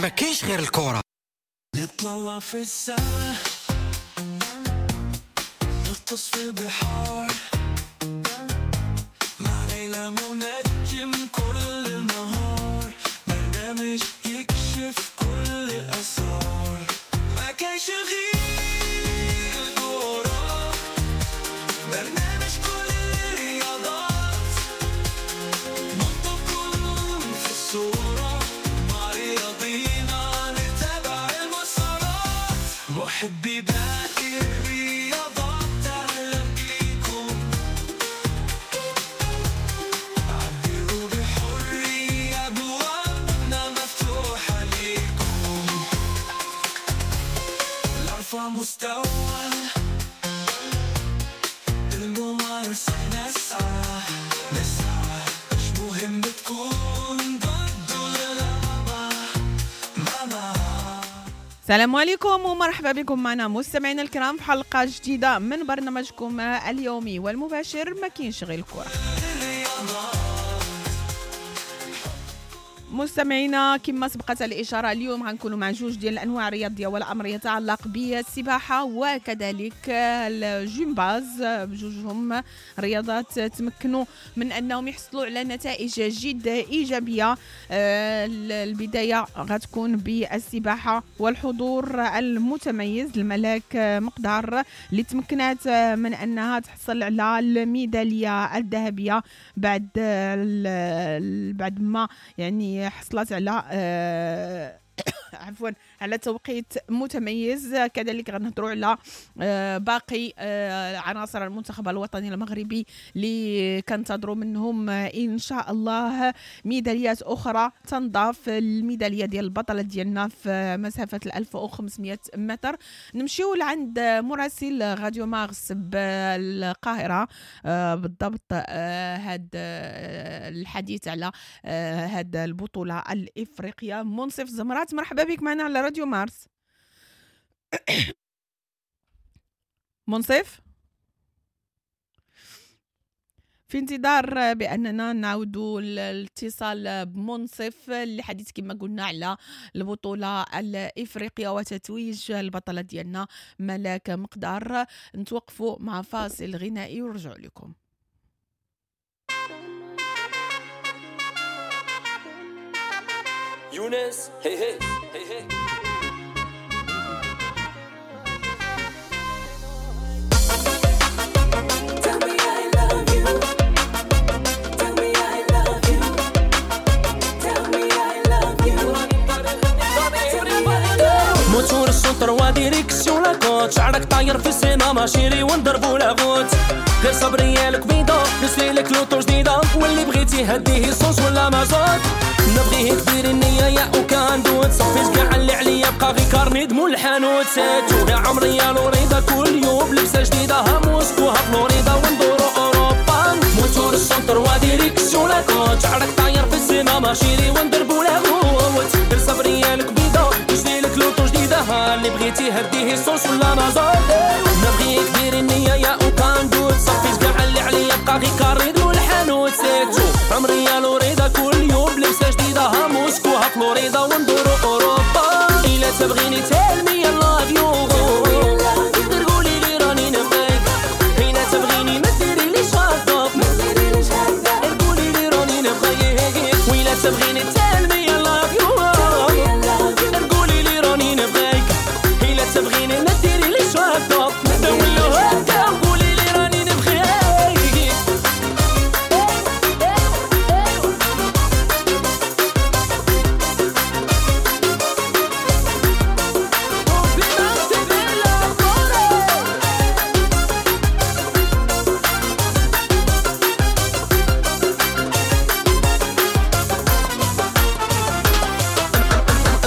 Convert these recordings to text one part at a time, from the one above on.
ما كاينش غير الكرة. نطلع في السما، نغطس في البحار، مع ليلى منجم كل النهار، برنامج يكشف كل الأسرار. ما كاينش غير الكرة، برنامج كل الرياضات، نحطكم في الصورة، مع رياضينا نتابع المسارات. محبي باقي الرياضات أهلا بيكم، عبروا بحرية، أبوابنا مفتوحة ليكم. لأرفع مستوى الممارسة نسعى نسعى، مش مهم تكون ضد ولا لا مع. السلام عليكم ومرحبا بكم معنا مستمعينا الكرام في حلقة جديدة من برنامجكم اليومي والمباشر ما كاينش غير الكرة. مستمعينا كما سبقت الإشارة اليوم غنكونوا مع جوج ديال الأنواع الرياضية، والأمر يتعلق بالسباحة وكذلك الجمباز. بجوجهم رياضات تمكنوا من أنهم يحصلوا على نتائج جد إيجابية. البداية غتكون بالسباحة والحضور المتميز الملاك مقدار اللي تمكنات من أنها تحصل على الميدالية الذهبية بعد ما يعني حصلت على عفوا على توقيت متميز. كذلك غنهضروا على باقي عناصر المنتخب الوطني المغربي اللي كنتظروا منهم ان شاء الله ميداليات اخرى تنضاف الميداليه ديال البطلة ديالنا في مسافة 1500 متر. نمشيو لعند مراسل راديو مارس بالقاهرة بالضبط هاد الحديث على هاد البطولة الافريقية. منصف زمرات، مرحبا بك معنا على راديو مارس. منصف، في انتظار بأننا نعودوا الاتصال بمنصف لحديث كما قلنا على البطولة الإفريقية وتتويج البطلة ديالنا ملاك مقدار. نتوقفوا مع فاصل غنائي ونرجعوا لكم. يونس هي هي هي هي. Tell me I love you. Tell me I love you. Tell me I love you. Tell me I love you. موتور السونتر و direction la côte، شعرك طاير في السما ma chérie ونضربو la route. غير صبري يا الكبيدة نشري لك l'auto جديدة، واللي بغيتي هديه essence ولا مازوت. نبغيه ديري النية يا aucun doute، صافي كاع اللي عليا بقى غير carnet مول الحانوت. c'est tout يا عمري يا لوريدا، كل يوم لبسة جديدة، ها موسكو ها فلوريدا وندورو أوروبا. موتور ال centre و direction la côte، شعرك طاير في السما ma chérie وندربو la route. غير صبري يا الكبيدة نشري لك l'auto جديدة، ها اللي بغيتي هديه essence ولا مازوت. نبغيك ديري النية يا aucun doute، صافي كاع اللي عليا بقى غير carnet مول الحانوت. c'est tout عمري يا لوريدا، كل يوم لبسة جديدة، ها موسكو ها فلوريدا وندورو أوروبا. إلا تبغيني tell me I love you، غير قولي لي راني نبغيك. إلا تبغيني ما ديريليش هكا، غير قولي لي راني نبغيك. وإلا تبغيني tell me I love you، غير قولي لي راني نبغيك. إلا تبغيني ما ديريليش هكا، دولو هكا وقولي لي راني نبغيك.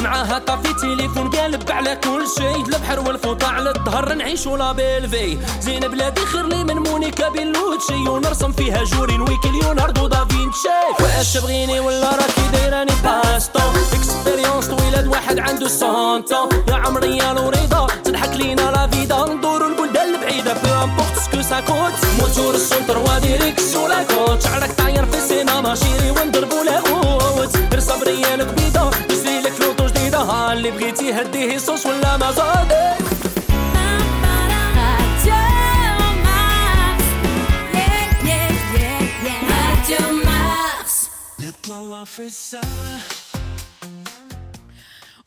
معاها طافي تليفون قالب على كل شيء، البحر والفوطة على الظهر نعيشو la belle vie. زين بلادي خير لي من مونيكا بيلوتشي، ونرسم فيها جورين ويكي ليوناردو دافينشي. واش تبغيني ولا راكي دايراني passe-temps، expérience طويلة واحد عنده cent ans. يا عمري يا لوريدا تضحك لينا la vida، ندورو البلدان البعيدة peu importe ce que ça coûte. موتور ال centre و direction la côte، شعرك طاير في السينما chérie وندربو la route. غير صبري يا الكبيدة نشري لك l'auto جديدة، بغيتي هديه essence ولا مازوت. نطلع في السما.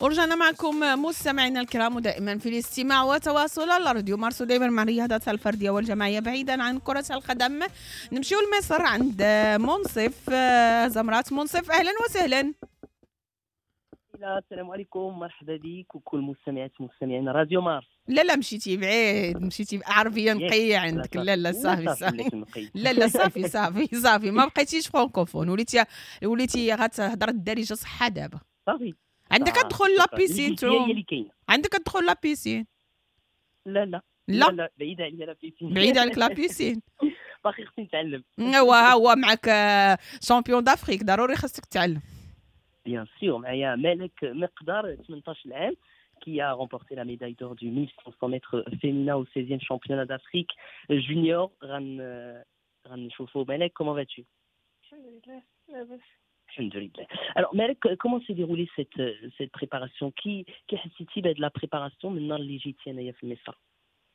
ورجعنا معكم مستمعينا الكرام، ودائما في الاستماع وتواصل على راديو مارس، ودائما مع الرياضات الفردية والجماعيه بعيدا عن كره القدم. نمشيو لمصر عند منصف زمرات. منصف اهلا وسهلا. السلام عليكم، مرحبا بك وكل مستمعات ومستمعين راديو مارس. لا لا مشيتي بعيد، مشيتي عربية نقية عندك. لا لا صافي صافي، لا لا صافي صافي صافي، ما بقيتيش فرانكوفون، وليتي غتهضر الدارجة صحة دابا. صافي عندك تدخل la piscine، عندك تدخل la piscine. لا لا لا لا، بعيدة عليا la piscine، بعيدة عليك la piscine، باقي خصني نتعلم. هو معك champion d'Afrique، ضروري خصك تتعلم. Bien sûr, معايا مالك مقدار 18 عام qui a remporté la médaille d'or du 1500 mètres féminin au 16e championnat d'Afrique junior. غنشوفوا مالك, comment vas-tu? الحمد لله. الحمد لله. Alors Malek, comment s'est déroulée cette préparation? كي حسيتي بهاد la préparation من النهار اللي جيتي هنايا في مصر؟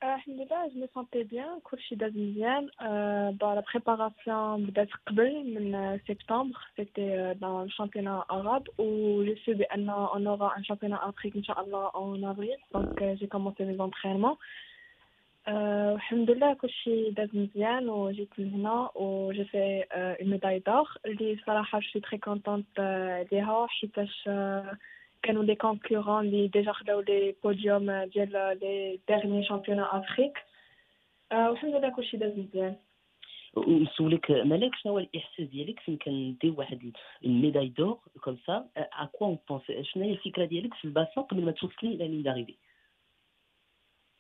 الحمد لله, je me sentais bien, كلشي داز مزيان. La préparation بدات قبل من septembre, c'était dans le championnat arabe و je sais بان on aura un championnat Afrique ان شاء الله en avril, donc j'ai commencé mes entraînements. الحمد لله كلشي داز مزيان وجيت لهنا و j'ai fait une médaille d'or اللي صراحة je suis très contente عليها، حيتاش كانوا les concurrents اللي déjà خداو les podiums ديال les derniers championnats Afrique. والحمد لله كلشي داز مزيان. ونسولك مالك، شنو هو الاحساس ديالك فين كندير واحد ال médaille d'or comme ça؟ à quoi on pense؟ شنو هي الفكرة ديالك في ال bassin قبل ما توصلي la ligne d'arrivée؟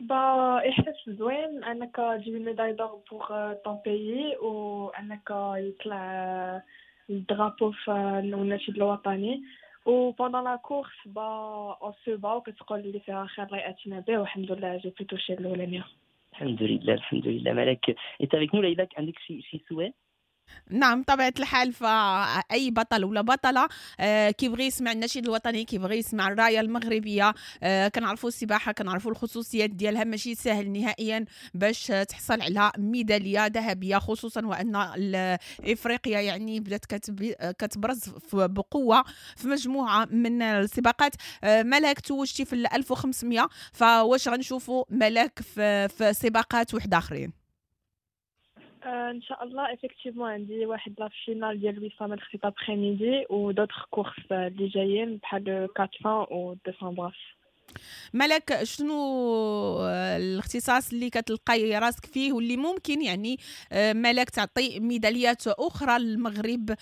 bah احساس زوين انك تجيب médaille d'or pour ton pays وانك يطلع ال drapeau في النشيد الوطني. و pendant la course bah on se bat وكتقول اللي فيها خير الله ياتينا به، والحمد لله j'ai pu toucher الاولانية. الحمد لله الحمد لله. مالك est avec nous. ليلى عندك شي سؤال؟ نعم طبيعة الحال، فأي بطل ولا بطلة كيبغي يسمع النشيد الوطني، كيبغي يسمع الراية المغربية. كنعرفوا السباحة، كنعرفوا الخصوصيات ديالها، ماشي سهل نهائيا باش تحصل على ميدالية ذهبية، خصوصا وأن إفريقيا يعني بدات كتبرز بقوة في مجموعة من السباقات. ملاك توجتي في 1500، فواش غنشوفوا ملاك في سباقات واحد آخرين؟ ان شاء الله effectivement عندي واحد la finale ديال 800 متر cet après-midi و d'autres courses اللي جايين بحال 400 و 200 brasse. ملك، شنو الاختصاص اللي كتلقاي راسك فيه واللي ممكن يعني ملك تعطي ميداليات اخرى للمغرب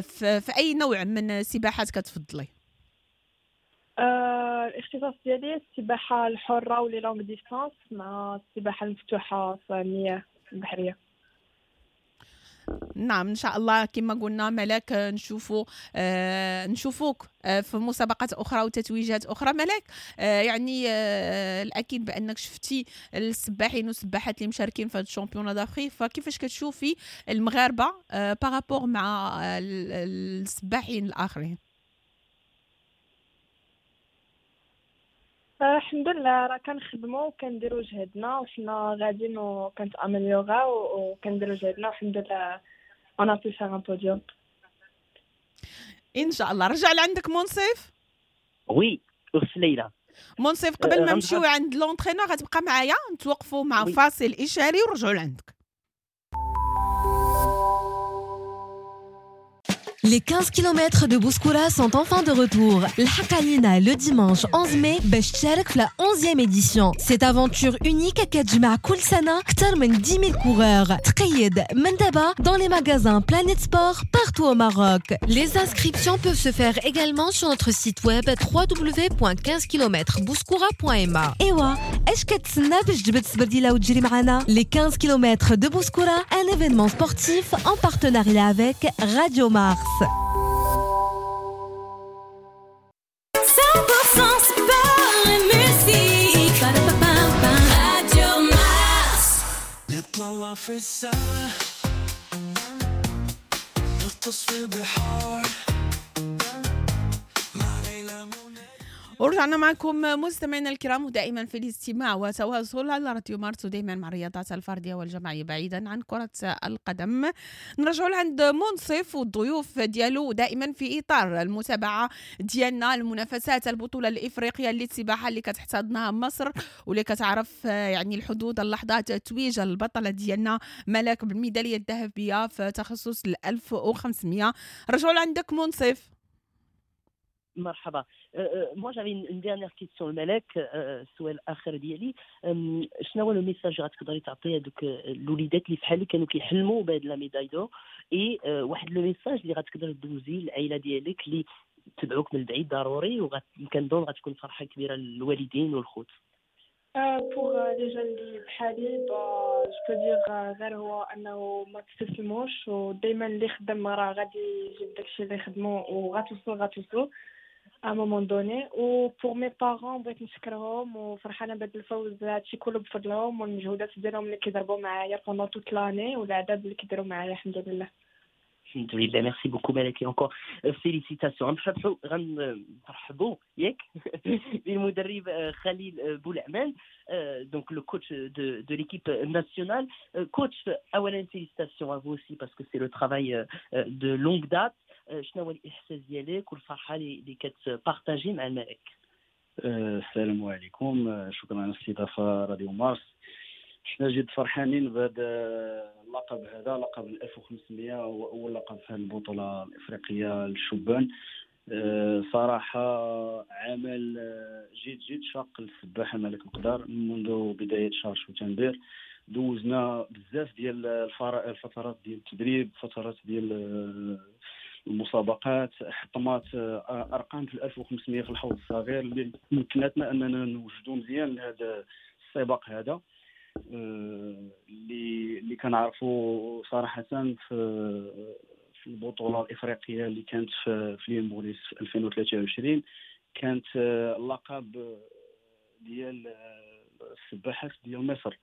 في اي نوع من السباحات كتفضلي؟ الاختصاص ديالي السباحة الحرة و les longues distances مع السباحة المفتوحة في المياه البحرية. نعم ان شاء الله كما قلنا ملاك نشوفوك في مسابقات اخرى وتتويجات اخرى. ملاك يعني الاكيد بانك شفتي السباحين والسباحات اللي مشاركين في هذا ال championnat d'Afrique، فكيفاش كتشوفي المغاربة par rapport مع السباحين الاخرين؟ الحمد لله راه كنخدموا وكنديروا جهدنا وحنا غاديين وكنتامليوغاو وكنديروا جهدنا، والحمد لله on a pu faire un podium ان شاء الله. رجع لعندك منصف. oui اخت ليلى. منصف قبل ما نمشيو عند l'entraîneur غتبقى معايا، نتوقفوا مع فاصل اشاري ونرجعوا لعندك. Les 15 km de Bouskoura sont enfin de retour. الحق علينا le dimanche 11 mai باش تشارك في la 11e édition. Cette aventure unique كتجمع كل سنة أكثر من 10 000 coureurs. تقيد من دابا dans les magasins Planet Sport partout au Maroc. Les inscriptions peuvent se faire également sur notre site web www.15kmbouskoura.ma. إيوا اش كتسنى باش تجبد السبرديلة وتجري معنا؟ Les 15 km de Bouskoura, un événement sportif en partenariat avec Radio Mars. 100% sport et musique. Radio Mars. نطلع في السما، نغطس في البحار. ورجعنا معكم مستمعينا الكرام، ودائما في الاستماع وتواصل على راديو مارس، ودائما مع الرياضات الفردية والجماعيه بعيدا عن كره القدم. نرجعوا لعند منصف والضيوف ديالو، دائما في اطار المتابعة ديالنا المنافسات البطولة الافريقية للسباحه اللي كتحتضنها مصر، واللي كتعرف يعني الحدود اللحظات تتويج البطلة ديالنا ملاك بالميداليه الذهبية في تخصص 1500. رجعوا لعندك منصف. مرحبا. moi j'avais une dernière question ملاك، السؤال الاخر ديالي، شنو هو le message غتقدري تعطي هذوك الوليدات اللي فحالي كانوا كيحلموا بهاد la médaille d'or، et واحد le message اللي غتقدر دوزي للعائلة ديالك اللي تبعوك من البعيد ضروري، وكنظن غتكون فرحه كبيرة للوالدين والخوت؟ pour les jeunes اللي بحالي، je peux dire غير هو انه ما تستسلموش، ودائما اللي خدم راه غادي يجيب داكشي اللي خدمو، وغتوصل à un moment donné. و pour mes parents بغيت نشكرهم وفرحانه بهذا الفوز، هادشي كله بفضلهم والمجهودات ديالهم اللي كيضربوا معايا pendant toute l'année والعذاب اللي كيديروا معايا. الحمد لله. الحمد لله. merci beaucoup ملاك، encore félicitations. غنرحبوا ياك بالمدرب خليل بولعمان، donc le coach de l'équipe nationale. coach، اولا félicitations à vous aussi parce que c'est le travail de longue date. شنو هو الاحساس ديالك والفرحه اللي كت partager مع الملك؟ السلام عليكم، شكرا على الاستضافة راديو مارس. حنا جد فرحانين بهذا اللقب، هذا لقب 1500 هو اول لقب في هذه البطولة الافريقية للشبان. صراحة عمل جد جد شاق للسباحه ملك مقدار منذ بداية شهر شتنبر. دوزنا بزاف ديال الفترات ديال التدريب، فترات ديال المسابقات، حطمات ارقام في 1500 في الحوض الصغير اللي مكنتنا اننا نوجدوا مزيان لهذا السباق هذا، اللي كنعرفوا صراحة في البطولة الافريقية اللي كانت في l'île Maurice في 2023، كانت اللقب ديال السباحات ديال مصر،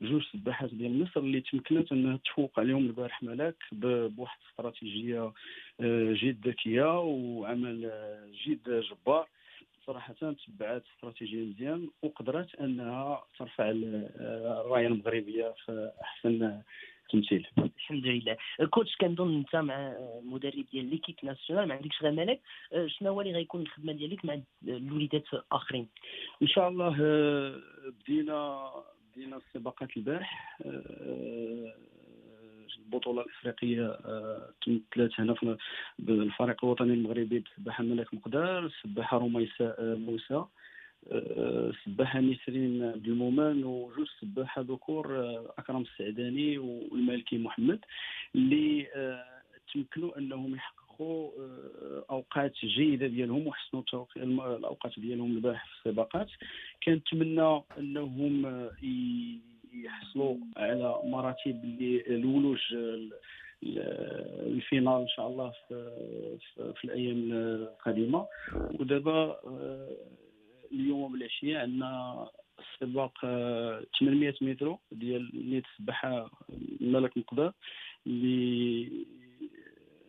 جوج سباحات ديال مصر اللي تمكنت انها تفوق عليهم البارح ملاك بواحد الاستراتيجية جد ذكية وعمل جد جبار. صراحة تبعات استراتيجية مزيان وقدرت انها ترفع الراية المغربية في احسن تمثيل. الحمد لله. coach، كنظن انت مع المدرب ديال l'équipe nationale ما عندكش غير ملاك، شنو هو اللي غيكون الخدمة ديالك مع الوليدات الاخرين؟ ان شاء الله بدينا السباقات البارح. البطولة الافريقية تمثلت هنا في بالفريق الوطني المغربي بسباحه ملاك مقدار، السباحة رميساء موسى، السباحة نسرين عبد المؤمن، وجوج سباحة ذكور اكرم السعداني والمالكي محمد، اللي تمكنوا انهم يحققوا اوقات جيدة ديالهم وحسنوا الاوقات ديالهم البارح في السباقات. كنتمنى انهم يحصلوا على مراتب الولوج ال finale ان شاء الله في الايام القادمة. ودابا اليوم بالعشيه عندنا السباق 800 متر ديال نيت السباحة ملك مقدار، اللي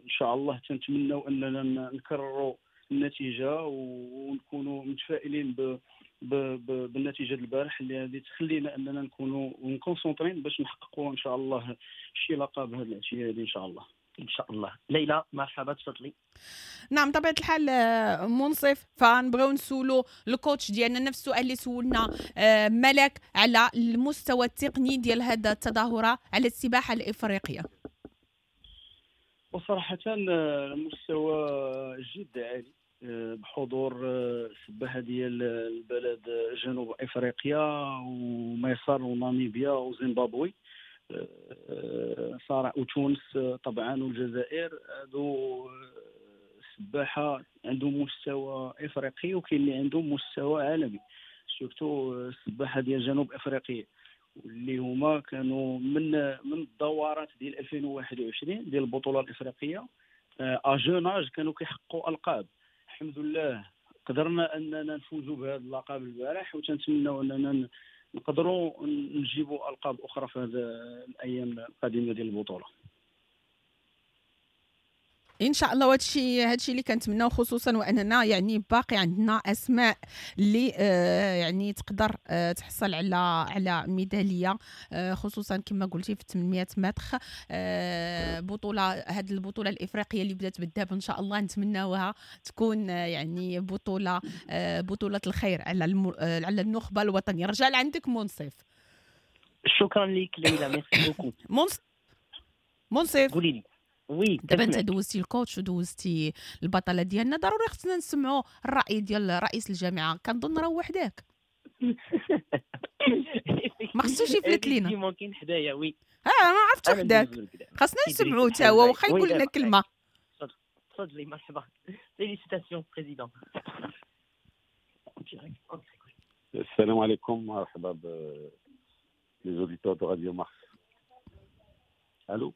ان شاء الله تنتمناو اننا نكرروا النتيجة ونكونوا متفائلين بالنتيجة البارح اللي غادي تخلينا اننا نكونوا مكونسونطرين باش نحققوا ان شاء الله شي لقب هذه العشية هذه ان شاء الله. ان شاء الله. ليلى مرحبا، تفضلي. نعم طبيعة الحال منصف، فنبغيو نسولو ال coach ديالنا نفس السؤال اللي سولنا ملاك على المستوى التقني ديال هذا التظاهرة على السباحة الافريقية. وصراحة المستوى جد عالي بحضور السباحة ديال البلد جنوب افريقيا ومصر وناميبيا وزيمبابوي صراحة وتونس طبعا والجزائر. هادو السباحة عندهم مستوى افريقي وكاين اللي عندهم مستوى عالمي، surtout السباحة ديال جنوب افريقيا واللي هما كانوا من الدورات ديال 2021 ديال البطولة الافريقية à jeune âge كانوا كيحققوا القاب. الحمد لله قدرنا اننا نفوزوا بهذا اللقب البارح، وتنتمناو اننا نقدروا نجيبوا القاب اخرى في هذه الايام القادمة ديال البطولة. ان شاء الله. وهادشي اللي كنتمناو، خصوصا واننا يعني باقي عندنا اسماء اللي يعني تقدر تحصل على ميداليه، خصوصا كما قلتي في 800 متر. بطوله هذه البطولة الافريقية اللي بدات بالذهب، ان شاء الله نتمناوها تكون يعني بطوله الخير على النخبة الوطنيه. رجع لعندك منصف. شكرا لك ليلى، merci beaucoup. منصف، منصف. قولي لي، oui. دابا انت دوزتي ال coach ودوزتي البطلة ديالنا، ضروري خصنا نسمعوا الراي ديال رئيس الجامعه. كنظن راه وحداك، ما خصوش يفلت لينا. ممكن حدايا، oui. ها ما عرفتش وحداك، خاصنا نسمعوا تا هو واخا يقول لنا كلمه. تفضلي، مرحبا، félicitations président. السلام عليكم، مرحبا ب les auditeurs de Radio Mars. الو.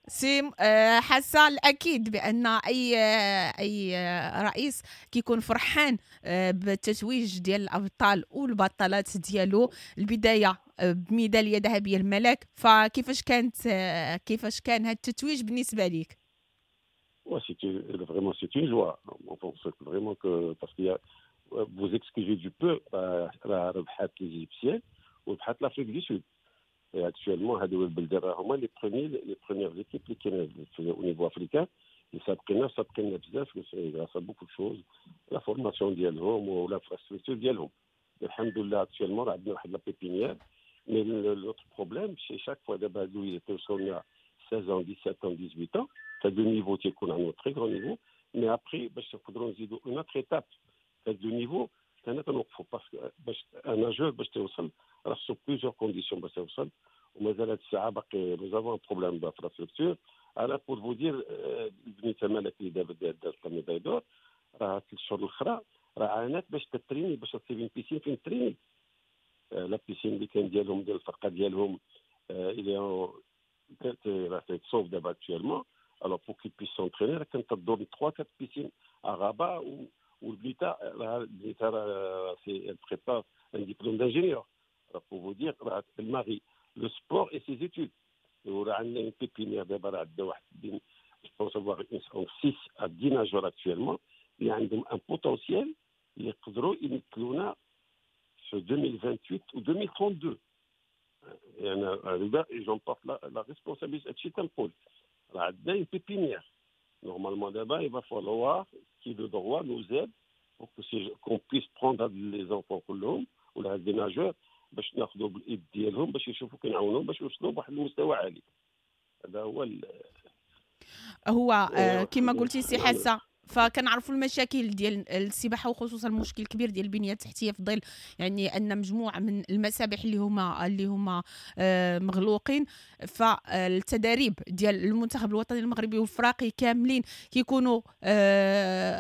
سي حاسه، الاكيد بان اي رئيس كيكون فرحان بالتتويج ديال الابطال والبطلات ديالو. البداية بميداليه ذهبية الملاك، فكيفاش كانت كيفاش كان هذا التتويج بالنسبة لك؟ Ouais, vraiment, c'est une joie. On pense vraiment que, parce qu'il y a, vous excusez du peu, ربحات les Égyptiens وربحات l'Afrique du Sud. Et actuellement, هادو البلدان هما les premières équipes اللي كاينه au niveau africain. اللي سابقينا بزاف grâce à beaucoup de choses، la formation ديالهم و l'infrastructure ديالهم. الحمد لله، actuellement عندنا واحد la pépinière، mais l'autre problème c'est chaque fois دابا هادو توصلنا 16 ans، 17 ans، 18 ans، هاد le niveau تيكون عندنا très grand niveau، mais après باش نقدروا نزيدوا une autre étape هاد le niveau كان تنوقفوا، parce que باش un nageur باش توصل راه خصو plusieurs conditions باش توصل، ومازال هاد الساعة باقي nous avons problème d'infrastructure. انا pour vous dire، البنيته مالك اللي دابا دارت la médaille d'or، راه 3 شهور الاخرى راه عانات باش تتريني، باش تصيب piscine فين تريني. la piscine اللي كان ديالهم، ديال الفرقة ديالهم، اللي راه تيتصوب دابا actuellement. alors pour qu'ils puissent s'entraîner راه كانت تدور 3 4 piscines à Rabat. والبنيته راه البنيته راه c'est elle prépare un diplôme d'ingénieur، pour vous dire، راه elle marie le sport et ses études. وراه عندنا une pépinière دابا، راه عندنا واحد بين je pense avoir 6 à 10 nageurs actuellement اللي عندهم un potentiel اللي يقدروا يمثلونا في 2028 و 2032. يعني هذا j'en porte la responsabilité. هادشي تنقول راه عندنا une pépinière normalement. دابا il va falloir qui de droit nous aide pour qu'on puisse prendre les enfants كلهم ولا هاد les nageurs، باش ناخذوا بالايد ديالهم، باش يشوفوا كنعاونوهم باش يوصلوا بواحد المستوى عالي. هذا هو. هو كما قلتي سي حاسه، فكنعرفوا المشاكل ديال السباحة، وخصوصا المشكل الكبير ديال البنية التحتيه، في ظل يعني ان مجموعة من المسابح اللي هما مغلوقين. فالتداريب ديال المنتخب الوطني المغربي والفراقي كاملين كيكونوا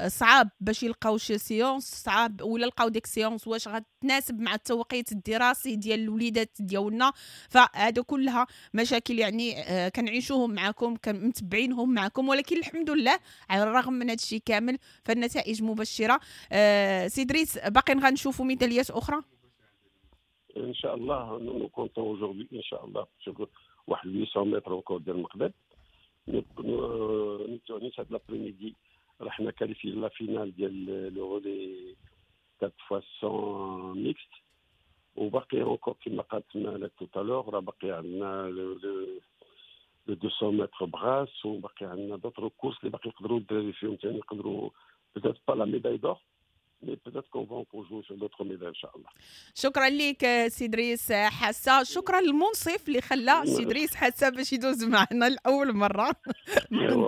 صعاب باش يلقاو شي séance، صعاب ولا لقاو ديك séance واش غتناسب مع التوقيت الدراسي ديال الوليدات ديالنا. فهذا كلها مشاكل يعني كنعيشوهم معكم، متبعينهم معكم، ولكن الحمد لله على الرغم من هذا الشيء كامل فالنتائج مبشره. سي دريس، باقي غنشوفوا ميداليات اخرى؟ ان شاء الله، nous comptons aujourd'hui ان شاء الله شوفوا واحد 800 متر encore ديال المقداد. نيت هاد l'après-midi رحنا qualifiés la finale ديال le relais 4 fois 100 mixte، وباقي encore كما قالت مالك tout à l'heure راه باقي عندنا le 200 mètres brasse، وباقي عندنا d'autres courses اللي باقي يقدروا الدراري فيهم ثاني، يقدروا peut-être pas la médaille d'or mais peut-être qu'on va encore jouer sur d'autres médailles ان شاء الله. شكرا لك سي دريس حاسه، شكرا للمنصف اللي خلى سي دريس حاسه باش يدوز معنا لاول مرة.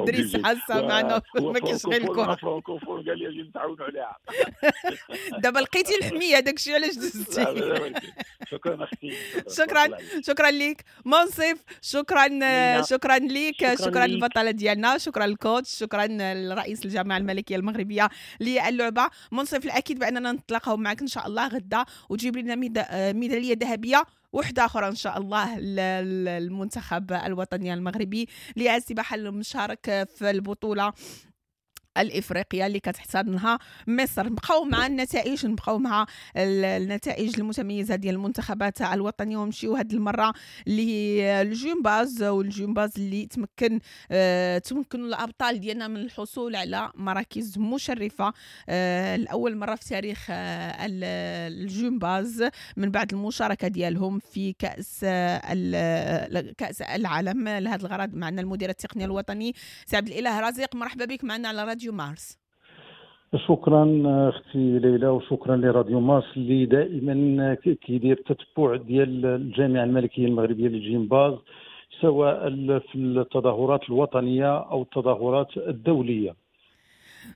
دريس حاسه معنا ما كاينش غير الكره. فرانكوفون قال لي اجي نتعاونوا عليها. دابا لقيتي الحميه، داكشي علاش دزتي. شكرا اختي. شكرا، شكرا لك منصف، شكرا، شكرا لك، شكرا للبطله ديالنا، شكرا لل coach، شكرا لرئيس الجامعة الملكية المغربية للعبه. منصف، الاكيد باننا نتلاقاو معك ان شاء الله غدا وتجيب لنا ميدالية ذهبية وحده اخرى ان شاء الله للمنتخب الوطني المغربي للسباحه المشارك في البطولة الافريقية اللي كتحتضنها مصر. نبقاو مع النتائج، نبقاو مع النتائج المتميزة ديال المنتخبات الوطنية، ونمشيو هذه المرة للجمباز، والجمباز اللي تمكنوا الابطال ديالنا من الحصول على مراكز مشرفة لاول مرة في تاريخ الجمباز من بعد المشاركة ديالهم في كاس العالم. لهذا الغرض معنا المدير التقني الوطني سي عبد الاله رزيق، مرحبا بك معنا على راديو مارس. شكرا اختي ليلى، وشكرا لراديو مارس اللي دائما كيدير التتبع ديال الجامعة الملكية المغربية للجمباز، سواء في التظاهرات الوطنية او التظاهرات الدولية.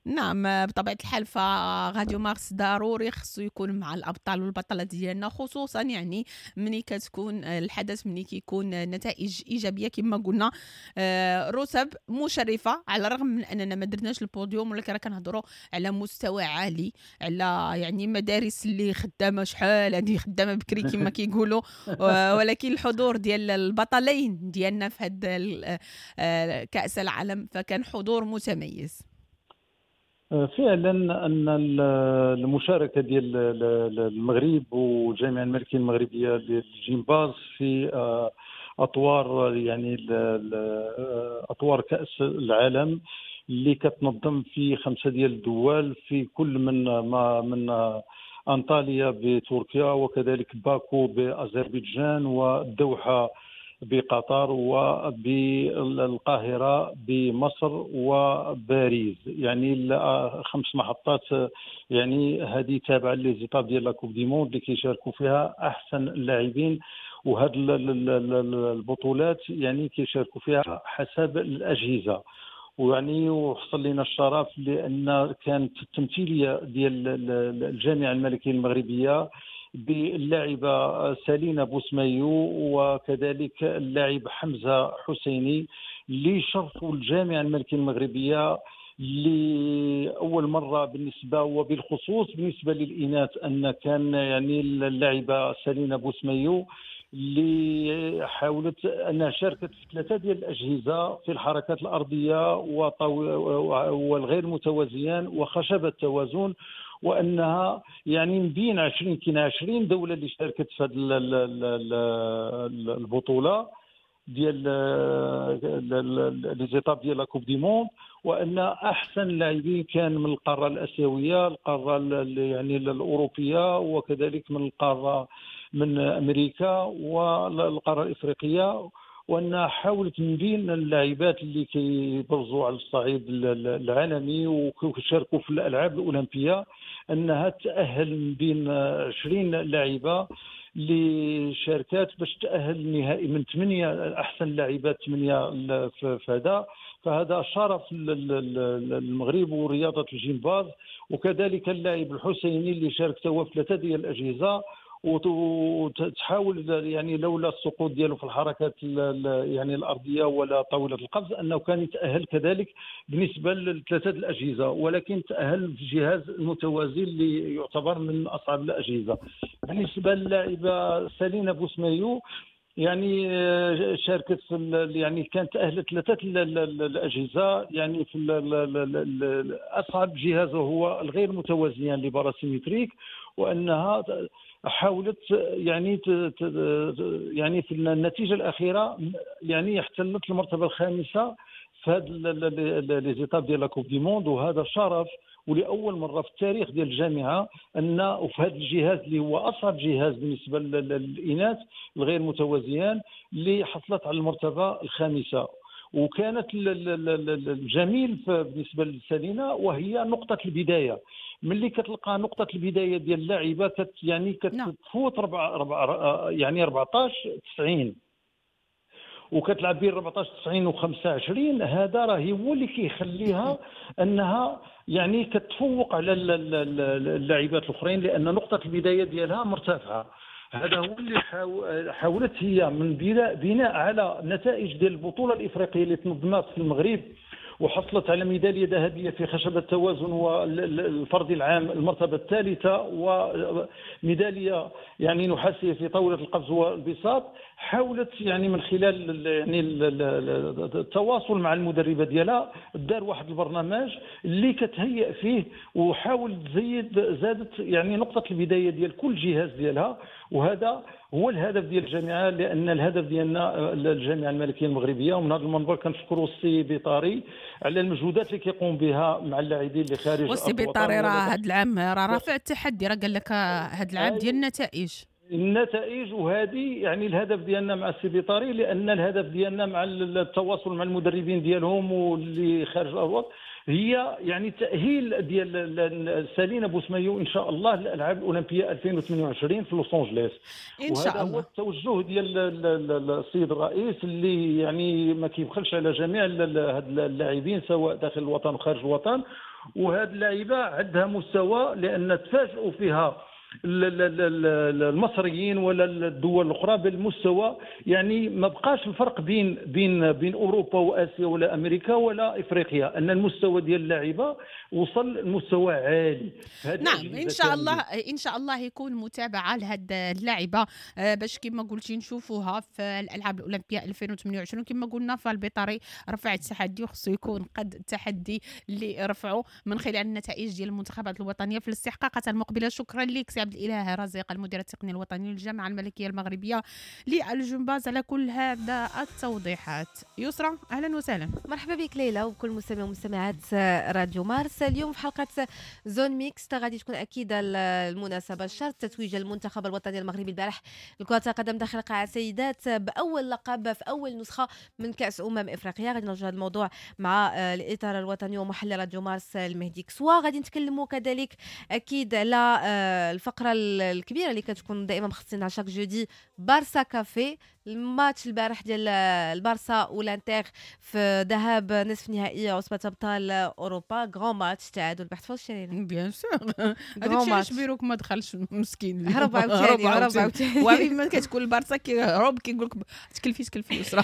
نعم بطبيعة الحال، فراديو مارس ضروري خصو يكون مع الأبطال والبطلات ديالنا، خصوصا يعني ملي كتكون الحدث، ملي كيكون نتائج إيجابية كما قلنا، رتب مشرفة، على الرغم من أننا ما درناش البوديوم، ولكن راه كنهضروا على مستوى عالي، على يعني مدارس اللي خدامة شحال هذه، خدامة بكري كما كيقولوا، ولكن الحضور ديال البطلين ديالنا في هذا كأس العالم فكان حضور متميز. فعلا ان المشاركة ديال المغرب والجامعة الملكية المغربية للجمباز في اطوار يعني اطوار كاس العالم اللي كتنظم في 5 ديال الدول، في كل من ما من انطاليا بتركيا، وكذلك باكو باذربيجان، والدوحه بقطر، وبالقاهرة بمصر، وباريس. يعني 5 محطات، يعني هذه تابعة les étapes ديال la Coupe du monde اللي كيشاركوا فيها أحسن اللاعبين، وهاد البطولات يعني كيشاركوا فيها حسب الأجهزة. ويعني وحصل لنا الشرف لأن كانت التمثيلية ديال الجامعة الملكية المغربية باللاعبة سالينا بوسمايو وكذلك اللاعب حمزة حسيني اللي شرفوا الجامعة الملكية المغربية لأول مرة بالنسبة وبالخصوص بالنسبة للإناث، أن كان يعني اللاعبة سالينا بوسمايو اللي حاولت أنها شاركت في 3 ديال الأجهزة في الحركات الأرضية والغير متوازيان وخشبة التوازن، وانها يعني من بين 20 كاين 20 دولة اللي شاركت في هذه البطولة ديال les étapes ديال la Coupe du monde، وان احسن لاعبين كان من القارة الاسيوية، القارة يعني الاوروبية، وكذلك من القارة من امريكا والقاره الافريقية. وان حاولت من بين اللاعبات اللي كيبرزوا على الصعيد العالمي وكيشاركوا في الالعاب الاولمبية انها تاهل من بين 20 لاعبه اللي شاركات باش تاهل النهائي من 8 احسن لاعبات 8 في هذا. فهذا شرف للمغرب ورياضة الجمباز. وكذلك اللاعب الحسيني اللي شارك هو في 3 ديال الاجهزة، وتحاول يعني لولا السقوط ديالو في الحركات يعني الارضية ولا طاولة القفز انه كان يتاهل كذلك بالنسبة لثلاثة الاجهزة، ولكن تاهل في جهاز المتوازي اللي يعتبر من اصعب الاجهزة. بالنسبة للاعبه سالينا بوسمايو يعني شاركت في يعني كانت تاهلت ثلاثة الاجهزة، يعني في اصعب جهاز هو الغير متوازيان les barres asymétriques، وانها حاولت يعني يعني في النتيجة الاخيرة يعني احتلت المرتبة الخامسة في هذا les étapes ديال la Coupe du monde. وهذا شرف ولاول مرة في التاريخ ديال الجامعة ان وفي هذا الجهاز اللي هو اصعب جهاز بالنسبة للاناث الغير متوازيان اللي حصلت على المرتبة الخامسة. وكانت الجميل بالنسبة لسالينا وهي نقطة البداية، ملي كتلقى نقطة البداية ديال اللاعبه يعني كتفوت 4 يعني 14.90 وكتلعب بين 14.90 و25، هذا راه هو اللي كيخليها انها يعني كتفوق على اللاعبات الاخرين لان نقطة البداية ديالها مرتفعة. هذا هو اللي حاولت هي من بناء على نتائج ديال البطولة الافريقية اللي تنظمت في المغرب وحصلت على ميدالية ذهبية في خشبه التوازن والفردي العام المرتبة الثالثة، وميداليه يعني نحاسيه في طاولة القفز والبساط. حاولت يعني من خلال يعني التواصل مع المدربه ديالها دار واحد البرنامج اللي كتهيئ فيه، وحاول زادت يعني نقطة البداية ديال كل جهاز ديالها. وهذا هو الهدف ديال الجامعة، لان الهدف ديالنا الجامعة الملكية المغربية. ومن هذا المنبر كنشكروا السي بيطاري على المجهودات اللي كيقوم بها مع اللاعبين اللي خارج. والسي بيطاري راه هذا العام راه رافع التحدي، راه قال لك هذا العام ديال النتائج. وهذه يعني الهدف ديالنا مع السي بيطاري، لان الهدف ديالنا مع التواصل مع المدربين ديالهم واللي خارج الوطن هي يعني تأهيل ديال سالينا بوسمايو ان شاء الله للالعاب الاولمبية 2028 في لوس انجلوس ان شاء الله. وهذا هو التوجه ديال السيد الرئيس اللي يعني ما كيبخلش على جميع هاد اللاعبين سواء داخل الوطن وخارج الوطن. وهاد اللاعيبه عندها مستوى، لان تفاجئوا فيها المصريين ولا الدول الاخرى بالمستوى، يعني ما بقاش الفرق بين بين بين اوروبا واسيا ولا امريكا ولا افريقيا، ان المستوى ديال اللاعيبه وصل لمستوى عالي. نعم ان شاء الله، ان شاء الله يكون متابعه لهاد اللاعبه باش كما قلتي نشوفوها في الالعاب الاولمبية 2028. كما قلنا فالبيطري رفع التحدي، وخصو يكون قد التحدي اللي رفعه من خلال النتائج ديال المنتخبات الوطنية في الاستحقاقات المقبلة. شكرا لك سي عبد الإله رزيق، المدير التقني الوطني للجامعة الملكية المغربية للجمباز، على كل هذا التوضيحات. يسرى أهلا وسهلا. مرحبا بك ليلى وكل مستمع ومستمعات راديو مارس. اليوم في حلقة zone mixte غادي تكون أكيد المناسبة الشرط تتويج المنتخب الوطني المغربي البارح لكرة القدم داخل قاعة سيدات بأول لقب في أول نسخة من كأس إفريقيا. غادي نرجع هذا الموضوع مع الإطار الوطني ومحلل راديو مارس المهدي كسوا. غادي نتكلموا كذلك أكيد على الفقرة الكبيرة اللي كتكون دائما مخصصينها chaque jeudi، بارسا كافي. الماتش البارح ديال البارسا والانتر في ذهاب نصف نهائي عصبة ابطال اوروبا، grand match، تعادل بحث فوز شرينا bien sûr. هذاك الشيء علاش بيروك ما دخلش مسكين، هرب عاوتاني. وما كتكون البارسا كيهرب كيقول لك تكلفي يسرا.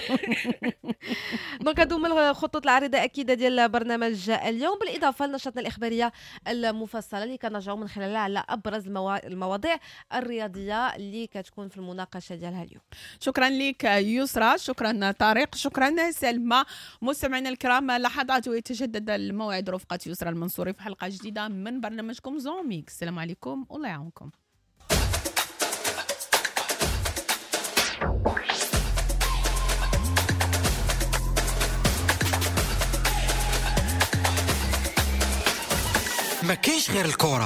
donc هادو هما الخطوط العريضة اكيد ديال برنامج اليوم، بالاضافة لنشاطنا الاخبارية المفصلة اللي كنرجعوا من خلالها على ابرز المواضيع الرياضية اللي كتكون في المناقشة ديالها اليوم. شكرا لك يسرى، شكرا طارق، شكرا سلمى. مستمعينا الكرام، لحظات ويتجدد الموعد رفقة يسرى المنصوري في حلقة جديدة من برنامجكم zone mixte. السلام عليكم والله يعاونكم. ما كاينش غير الكرة.